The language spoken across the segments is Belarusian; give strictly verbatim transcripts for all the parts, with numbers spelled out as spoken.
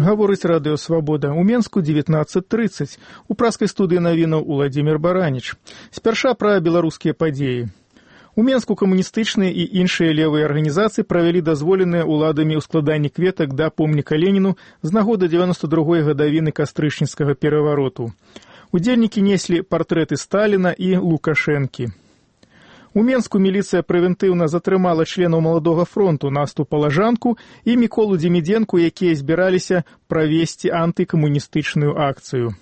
Гаворыць радыё «Свабода». У Менску дзевятнаццаць трыццаць. У праскай студыі навінаў Уладзімір Бараніч. Спярша пра беларускія падзеі. У Менску камуністычныя і іншыя левыя арганізацыі правялі дазволеныя ўладамі ўскладанні кветак да помніка Леніну з нагоды дзевяноста другой гадавіны кастрычніцкага перавароту. Удзельнікі неслі партрэты Сталіна і Лукашэнкі. У Менску міліцыя прэвентыўна затрымала членаў маладога фронту Насту Палажанку і Міколу Дземідзенку, якія збіраліся правесці антыкамуністычную акцыю.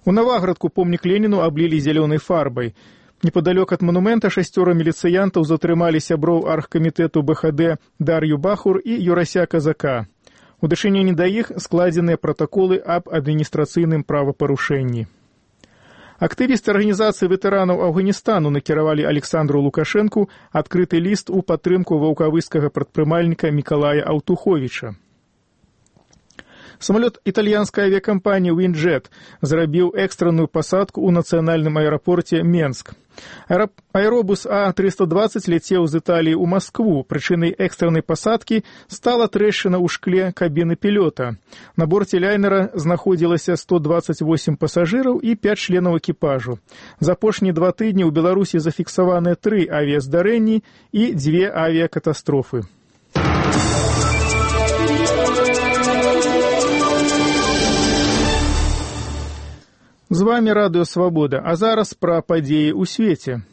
У Наваградку помнік Леніну аблілі зялёнай фарбай. Непадалёк ад манумента шасцёра міліцыянтаў затрымалі сяброў аргкамітэту бэ ха дэ Дар'ю Бахур і Юрася Казака. У дачыненні да іх складзеныя пратаколы аб адміністрацыйным правапарушэнні. Актывісты арганізацыі ветэранаў Афганістану накіравалі Александру Лукашэнку адкрыты ліст у падтрымку ваўкавыскага прадпрымальніка Мікалая Аўтуховіча. Самалёт італьянскай авіякампаніі «Вінджет» зрабіў экстранную пасадку ў нацыянальным аэрапорце Менск. Аэробус А трыста дваццаць ляцеў з Італіі ў Маскву. Прычынай экстраннай пасадкі стала трэшчына ў шкле кабіны пілота. На борце лайнера знаходзілася сто дваццаць восем пасажыраў і пяць членаў экіпажу. За апошнія два тыдні ў Беларусі зафіксаваныя тры авіяздарэнні і дзве авіякатастрофы. З вамі радыё «Свабода», а зараз пра падзеі ў свеце.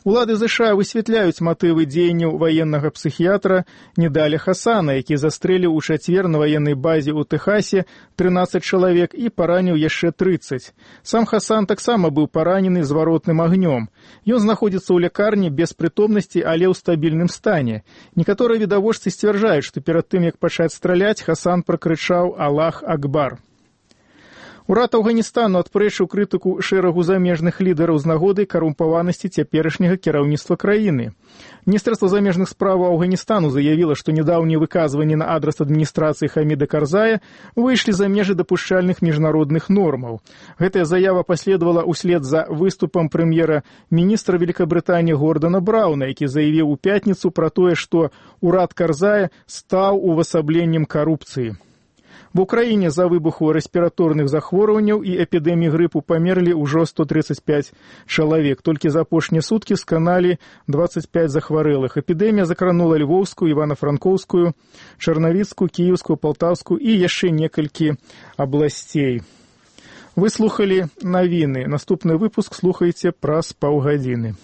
Улады ЗША высвятляюць матывы дзеянняў ваеннага псіхіятра Недаля Хасана, які застрэліў у чацвер на ваеннай базе ў Тэхасе трынаццаць чалавек і параніў яшчэ трыццаць. Сам Хасан таксама быў паранены зваротным агнём. Ён знаходзіцца ў лякарні без прытомнасці, але ў стабільным стане. Некаторыя відавочцы сцвярджаюць, што перад тым, як пачаць страляць, Хасан пракрычаў «Аллах Акбар». Урад Афганістану адпрэчыў крытыку шэрагу замежных лідараў з нагоды карумпаванасці цяперашняга кіраўніцтва краіны. Міністэрства замежных справаў Афганістану заявіла, што нядаўнія выказванні на адрас адміністрацыі Хаміда Карзая выйшлі за межы дапушчальных міжнародных нормаў. Гэтая заява паследавала ўслед за выступам прэм'ера-міністра Великабрытаніі Гордана Брауна, які заявіў у пятніцу пра тое, што урад Карзая стаў увасабленнем карупцыі. В Украіне за выбуху рэспіраторных захворванняў і эпідэміі грыпу памерлі ўжо сто трыццаць пяць чалавек. Толькі за апошнія суткі сканалі дваццаць пяць захварэлых. Эпідэмія закранула Львоўскую, Івана-Франкоўскую, Чарнавіцкую, Кіеўскую, Палтаўскую і яшчэ некалькі абласцей. Вы слухалі навіны. Наступны выпуск слухайце праз паўгадзіны.